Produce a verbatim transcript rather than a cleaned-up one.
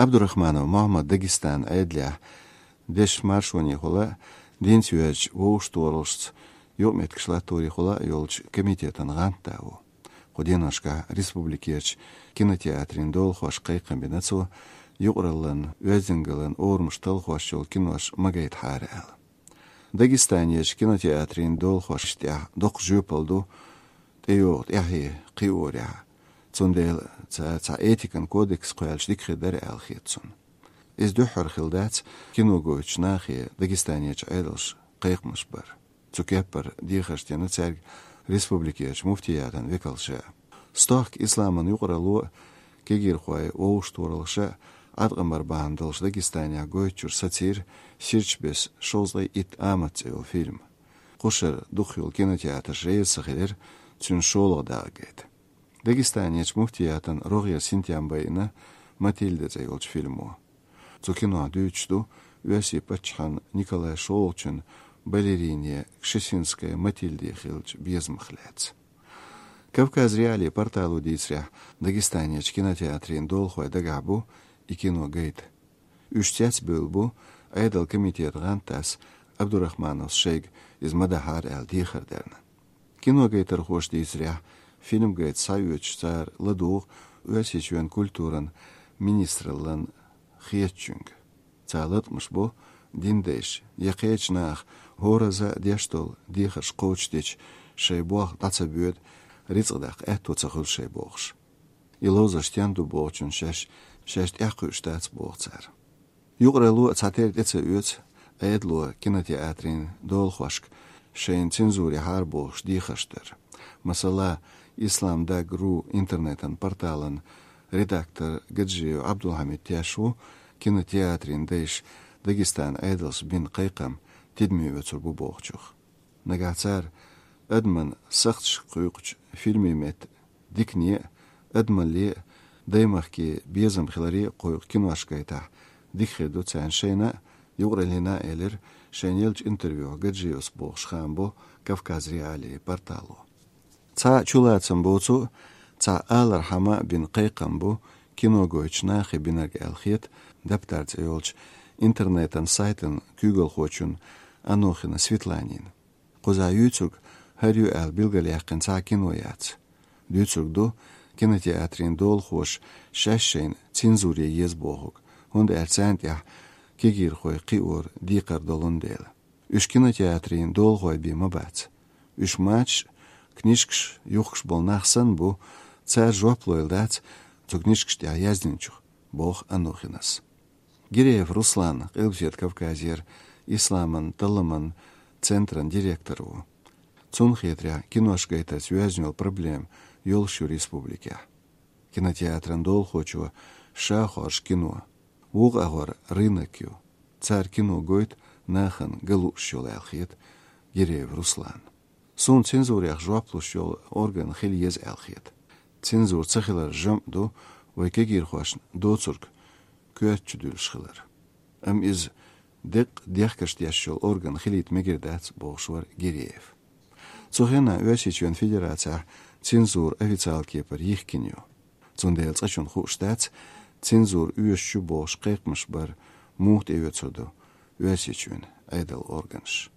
Абдурахманов Мухьаммад Дагестан Ӏедалехь дешаш маршонехула, динца йоьзначу вовшахтохараллашца юкъаметтигаш латторехула йолчу комитетан гӀантда ву. Кху деношкахь республикерчу кинотеатрийн долахошка кхайкхам бина цо, юкъараллин, оьздангаллин орамаш талхош йолу кинош ма гайтахьара аьлла. Дагестанерчу кинотеатрийн долахошна тӀехь доккха жоьпалла ду тӀейогӀу тӀаьхье кхиорехь. Цундела цара цхьа этикан кодекс кхоьллича дика хир дара аьлла хета цунна. Иза дуьххьара хилла дац кино гойтучу нахе Дагестанерчу Ӏедалша кхайкхамаш бар. Цу кеппара дехарш дина цаьрга республикерчу муфтиятан векалша. Стохка исламан юкъаралло а, кегийрхой вовшахтохараллаша а Ӏаткъам бар бахьана долуш Дагестанехь гойтучуьра сацийра ширачу беса шовзткъе итт амат цӀе йолу фильм. Кхушара дукхахйолу кинотеатраш реза ца хилира цуьнан шолгӀа дакъа гайта. Дагестанерчу муфтиятан рогӀера синтем байина «Матильда» цӀе йолчу фильмо. Цу кинохь дуьйцуш ду Оьрсийн паччахьан Николай шолгӀачун балерине Кшесинская Матильде хиллачу безамах лаьцна. Кавказ.Реалии портало дийцарехь, Дагестанерчу кинотеатрийн долахой дагахь бу и кино гайта. Уьш цецбевлла бу Ӏедалан комитетан гӀантдас Абдурахмановс шайга иза ма дахьара аьлла дехар дарна. Киногайтархоша дийцарехь, фильм гайта схьаоьцуш цара ладугӀу Оьрсийчоьнан культуран министраллан хетачуьнга. Цара латкъамаш бо динан дайша я кхечу наха хӀоразза а деш долу дехарш кхочушдича, шайн болх дӀа ца боьду, рицкъ даккха аьтто ца хуьлу шайн бохуш. И ловзарш стен ду бохучун шаьш, шаьш тӀекхуьуш дац боху цара. Юкъаралло а цхьатерра тӀе ца оьцу Ӏедало кинотеатрийн долахошка шайна цензура яхьара бохуш дехарш дар. Масала, Исламдаг ру интернетан порталан редактор Гаджиев Ӏабдулхьамид теш ву кинотеатрийн дайша Дагестанан Ӏедалша бина кхайкхам тидаме оьцур бу бохучух. Нагахь цара адаман сахташка кхуьйкхучу фильмийн метта дикане а, адамалле а, даймахке безам хиларе а кхойкху кинош гайтахь, дика хир ду царна шайна а, юкъараллина а, элира шайна еллачу интервьюхь Гаджиевс бохуш хаам бо Кавказ.Реалии портало. Цхьа чулацам боцу а, цхьа алархьама а бина кхайкхам бу кино гойтучу нахе бинарг аьлла хета «Даптар» цӀе йолчу интернетан сайтан куьйгалхочун Анохина Светланина. Кхузахь юьйцург хӀара ю аьлла билгалъяьккхина цхьа а кино яц. Дуьйцург ду кинотеатрийн долахоша шаьш шайна цензуре еза бохург, хӀунда аьлча царна тӀехь кегийрхой кхиор декхар долун дела. Уьш кинотеатрийн долахой бен ма бац. Уьш мачаш а, книжкаш а юхкуш болу нах санна бу, цара жоп лойла дац цу книжкаш тӀехь яздинчух, боху Анохинас. Гиреев Руслан Къилбаседа Кавказера исламан талламан центран директор ву. Цунна хетарехь, кинош гайтарца йоьзна йолу проблема йолуш ю республикехь. Кинотеатран долахочо ша хоржу кино, вукху агӀор рынок ю. Цара кино гойту нахана ган лууш йолу аьлла хета Гиреев Руслан. Суна цензурех жоп луш йолу орган хила еза аьлла хета. Цензура ца хилар жамӀ ду вай кегийрхошна доцург коьрта чу дуьллуш хилар. Амма иза деккъа дехкаш деш йолу орган хилийта мегар дац, бохуш вара Гиреев. Цу хенахь Оьрсийчоьнан Федерацехь цензура официалан кепара йихкина ю. Цундела цкъачунна хууш дац, цензура оьшуш ю бохуш кхайкхамаш бар муха тӀеоьцур ду Оьрсийчоьнан Ӏедалан органаш.